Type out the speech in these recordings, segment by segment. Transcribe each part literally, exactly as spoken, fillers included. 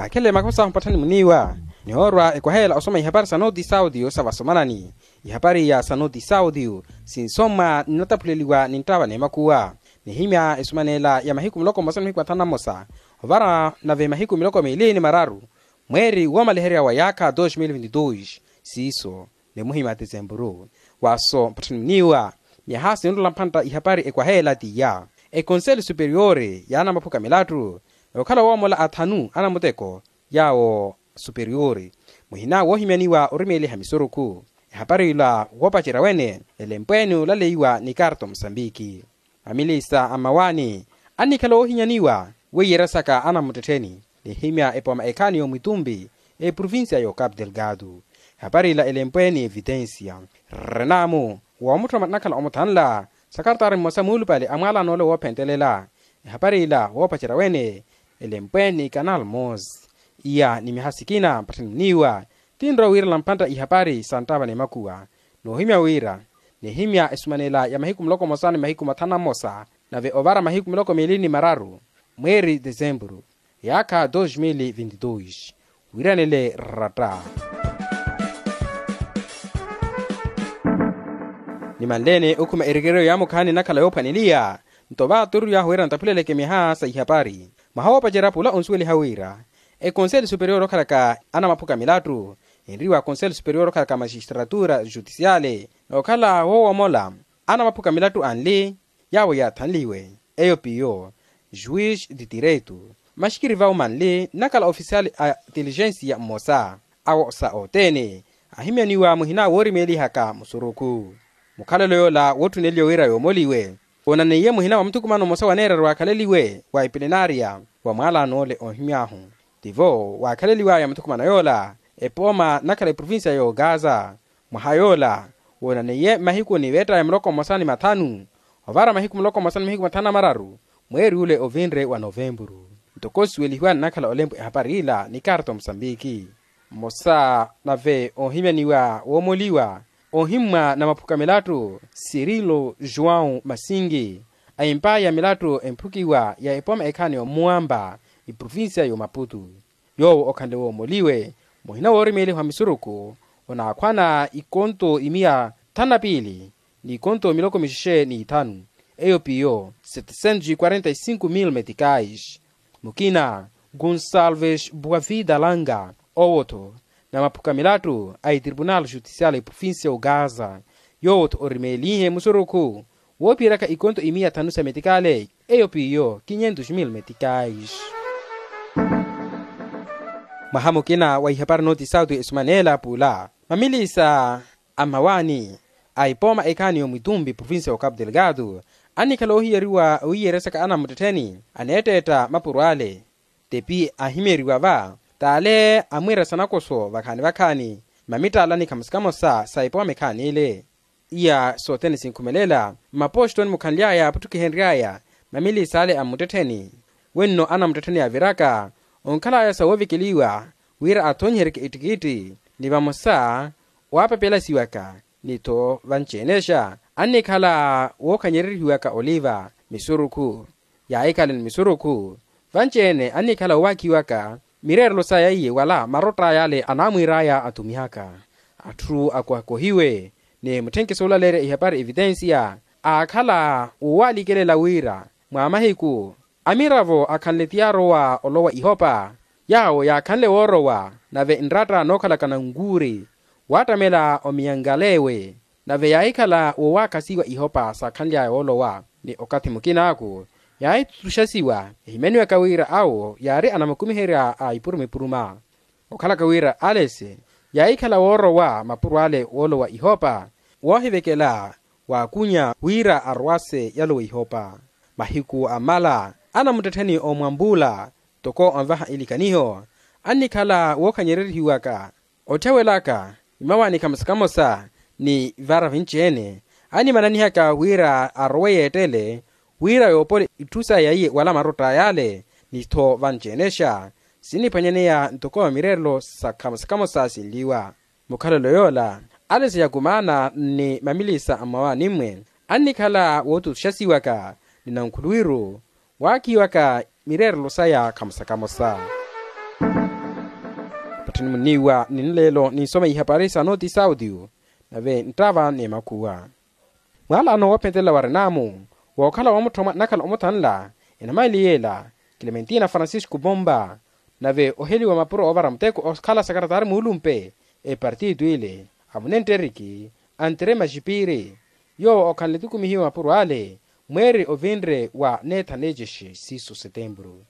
Akhele makhosa ahu mpatthani muniiwa, nihoorwa ekwaheela osoma ihapari sa nooti saudio sa vasomanani. Ihapari iya sa nooti saudio sinsomwa nnataphuleliwa ni nttava n'emakuwa. Nihimya esumaneela ya mahiku muloko mmosa ni mahiku mathanu na mmosa ovara nave mahiku miloko miili ni mararu mweeri woomaliherya wa yaakha dos mil vinti dos. Siiso ni muhimya tisempuru. Waaso mpatthani muniiwa, myaha sinrola mphantta ihapari ekwaheela t'iya. Ekonseli superiori ya anamaphuka milattu okhala woomola athanu anamuteko yaawo superiori muhina woohimyaniwa orimeeliha misurukhu. Ehapari ila woopacerya wene elempweeni olaleiwa ni karto musambiki. Mamilisa a mmawaani annikhala oohinyaniwa weiyeryasaka anamuttettheni nihimya epooma ekhaani y'omwitumbi eprovincia y'ocapu delgado. Ehapari ila elempwe ni evitensia. Rrenaamu woomutthoma nnakhala omuthanla sakartaari mmosa muulupale a mwaalano ole woophentelela. Ehapari ila woopacerya wene elempwe ni canal mos. Iya ni myaha sikina mpatthani muniiwa tinrowa wiirela mphantta ihapari sa nttava n'emakuwa. Noohimya wira nihimya esumaneela ya mahiku muloko mmosa ni mahiku mathanu na mmosa nave ovara mahiku miloko miili ni mararu mweeri tesempuru yaakha dos mil vinti dos. Wiiranele ratta. Nimanleene okhuma erikeriyo yaamukhaani nnakhala yoophwaneliya nto vaaturiw'ahu wira ntaphuleleke myaha sa ihapari. Mwaha woopacerya pula onsuweliha wira ekonseli superiori okhalaka anamaphuka milattu enriwa konseli superiori okhalaka majistratura jutisiale nookhala woowomola anamaphuka milattu anli yaawo yaathanliwe eyo piyo juis di tireito maxikiri vawo manli nnakhala ofisiali a tilijensiya mmosa awo sa othene ahimyaniwa muhina woorimeelihaka musurukhu. Mukhalelo yoola wootthuneliwe wira yoomoliwe woonaneiye muhina wa muthukumano mmosa waneeraru waakhaleliwe wa eplenariya wa mwaalano ole oohimy'ahu tivo waakhaleliwaya muthukumano yoola epooma nnakhala eprovincia y'ogaza. Mwaha yoola woonaneiye mahiku ni veettaya muloko mmosa ni mathanu ovara mahiku muloko mmosa ni mahiku mathanu na mararu mweeri ule ovinre wa novempuru. Ntoko osuwelihiwa nnakhala olempo ehapari ila ni karto musambiki mmosa nave oohimyaniwa woomoliwa ohimmwa na maphuka milattu sirilo joão masingi a empa ya milattu emphukiwa ya epooma ekhaani y'omuwamba eprovincia y'omaputu. Yoowo okhanle woomoliwe muhina woorimeeliha wa misurukhu onaakhwana ikonto imiya thanu na piili n'ikonto miloko mixexe n'ithanu eyo piyo setecentos e quarenta e cinco mil meticais. Mukina gonsalves boavida langa owo-tho na maphuka milattu a etripunal jutisial eprovincia y'ogaza yoowo-tho orimeelihe musurukhu woophiyeraka ikonto imiya thanu sa metikale eyo piyo kinyentos mil metikais. Mwaha mukina wa ihapari nooti sauti esumaneela pula mamilisa a mmawaani a epooma ekhaani y'omwitumbi provincia y'ocapu delgado annikhala oohiyeriwa owiiyeryasaka anamuttettheni aneetteetta mapuro ale. Tepi ahimyeriwa va t'ale amwiira sanakoso vakhaani vakhaani mamittaalani khamosa khamosa sa epooma ekhaani ile. Iya sothene sinkhumelela mmapoxitoni mukhanly'aya yaaputtukihenry'aya mamilisa ale a mmuttettheni wenno anamuttettheni yaaviraka onkhal'aya sa woovekeliwa wira athonyiheryeke ittikitti ni vamosa waapapelasiwaka ni-tho vanci-enexa annikhala wookhanyererihiwaka oliva misurukhu. Yaahikhale ni misurukhu vanci-ene annikhala owaakhiwaka mireerelo saya iye wala marott'aya ale anaamwiir'aya atumihaka atthu akohakohiwe ni mutthenke soolaleerya ihapari evitensiya aakhala woowalikelela wira mwa mahiku amiravo akhanle ti yaarowa olowa ihopa yaawo yaakhanle woorowa nave nratta nookhalaka nankuuri waattamela omiyankalewe nave yaahikhala woowaakhasiwa ihopa saakhanly'aya woolowa ni okathi mukin'aku yaahitutuxasiwa ehimyaniwaka wira awo yaari anamukumiherya a ipuruma ipuruma okhalaka wira alesi yaahikhala woorowa mapuro ale woolowa ihopa woohivekela waakunya wira arowase yalowa ihopa. Mahiku ammala anamuttettheni oomwambuula toko onvaha ilikaniho annikhala wookhanyererihiwaka otthewelaka imawaani khamosa khamosa ni vara vinci-ene animananihaka wira arowe yeettele wira yoopola itthu saya iye wala marotta yale ni-tho vanci-enexa sinniphwanyaneya ntoko mireerelo sa khamosa khamosa sinliwa. Mukhalelo yoola alesi yakumaana ni mamilisa a mmawaani-mwe annikhala wootutuxasiwaka ni nankhuluwiru waakhiwaka mireerelo saya khamosa khamosa. Muniiwa ninleelo ninsoma ihapari sa nooti saudio nave nttaava n'emakhuwa. Mwaalano woophentelela wa renaamu wookhala woomuttha omwa nnakhala omuthanla enamaili yeela, clementina francisco pompa, nave oheliwa mapuro oovara muteko okhala sakaratari muulumpe epartito ile, amunenteriki antre maxipiri, yoowo okhanle tukumihiwa mapuro ale mweeri ovinre wa neetha neecexe siiso setempuru.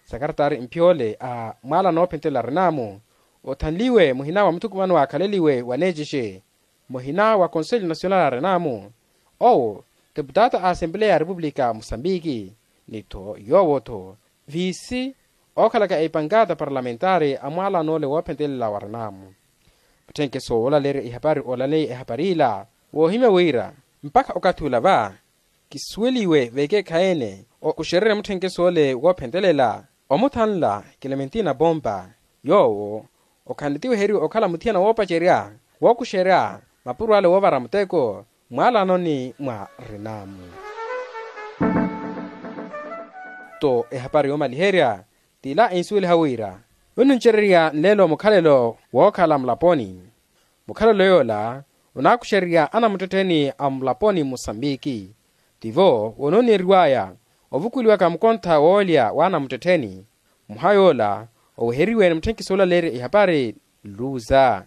Sakaratari mpyoole a mwaala noophentelela renaamu othanliwe muhina wa muthukumano waakhaleliwe wa neecexe, muhina wa konselho nasional a renaamu, owo teputaata a asempleya ya repupulika musambiki, ni-tho yoowo-tho viisi ookhalaka epankata parlamentari a mwaalano ole woophentelela wa renaamu. Mutthenkeso woolaleerya ihapari oolaleya ehapari ila woohimya wira mpakha okathi ula va kisuweliwe vekeekhayi-ene okuxererya mutthenkeso ole woophentelela omuthanla clementina pompa, yoowo okhanle tiweheriwa okhala muthiyana woopacerya wookuxerya mapuro ale woovara muteko mwaalanoni mwa renaamu. Tto ehapari yoomaliherya t'ila ensuweliha wira onnincererya nleelo mukhalelo wookhala mulaponi. Mukhalelo yoola onaakuxererya anamuttettheni a mulaponi mmusambiki. Tivo wonooneriwaya ovukuliwaka mukontha woolya w'anamuttettheni. Muha yoola oweheriwe ni mutthenkiso oolaleerya ihapari luza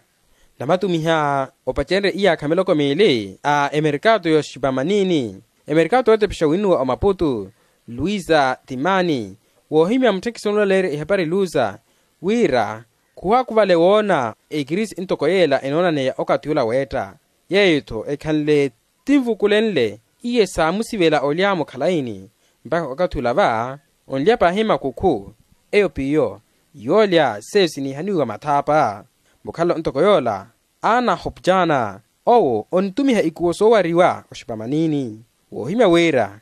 namatumiha opacenrye iyaakha miloko miili a emerikato y'oxipamanini, emerikato yootepexa winnuwa omaputu luisa timani, woohimya mutthenkiso oolaleerya ihapari luza wira khuwaakuvale woona ekirisi ntoko yeela enoonaneya okathi ola weetta. Yeeyo-tho ekhanle tinvukulenle iye saamusivela olya mukhalayini mpakha okathi ola va onlya paahi makukhu eyo p'iyo yoolya seiyo siniihaniwa mathaapa. Mukhalelo ntoko yoola ana hopjana owo onitumiha ikuwo soowariwa oxipamanini woohimya wira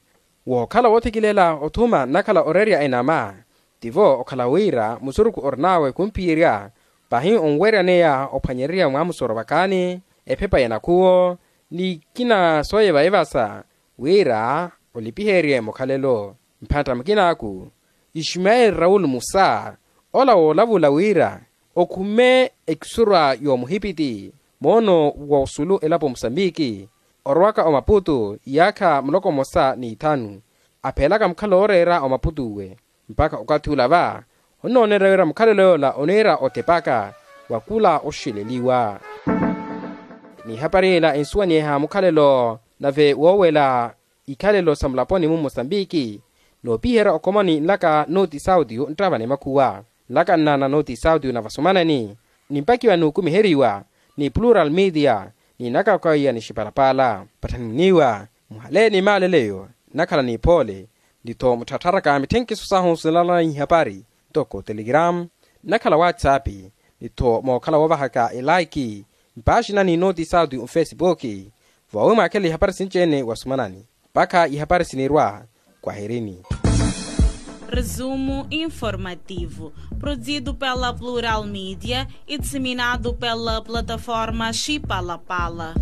wookhala woothekilela othuma nnakhala oreerya enama. Tivo okhala wira musurukhu orin'awe khumphiyerya paahi onweryaneya ophwanyererya mwaamusoro vakaani ephepa ya nakhuwo ni ikina sooyeva evasa wira olipiherye mukhalelo. Mphantta mukin'aku ismaeli raul musa ola woolavula wira okhume ekisurwa y'omuhipiti moono w'osulu elapo musambiki orowaka omaputu iyaakha muloko mmosa n'ithanu apheelaka mukhala ooreera omaputu'we. Mpakha okathi ula va onnoonerya wira mukhalelo yoola oniira otepaka wa khula oxeleliwa. N'ihapari ila ensuwanyeha mukhalelo nave woowela ikhalelo sa mulaponi-mu mmusambiki noopiherya okhomoni nlaka nooti saudio nttava n'emakhuwa nlaka nnaana nooti saudio na vasumanani nimpakiwa n'ukumiheriwa ni plural media ni nakakwaiya ni xipalapala patthani muniiwa muhaleeni maaleleyo nnakhala n'iphoole. Nti-tho mutthattharaka mitthenkiso sahu sinalala ihapari ntoko telegram nnakhala whatsapp ni-tho mookhala woovahaka elaiki mpaaxinani nooti saudio nfesipuki voowi mwaakhela ihapari sinci-ene wasumanani mpakha ihapari sinirwa. Kwaherini. Resumo informativo produzido pela plural media e disseminado pela plataforma xipalapala.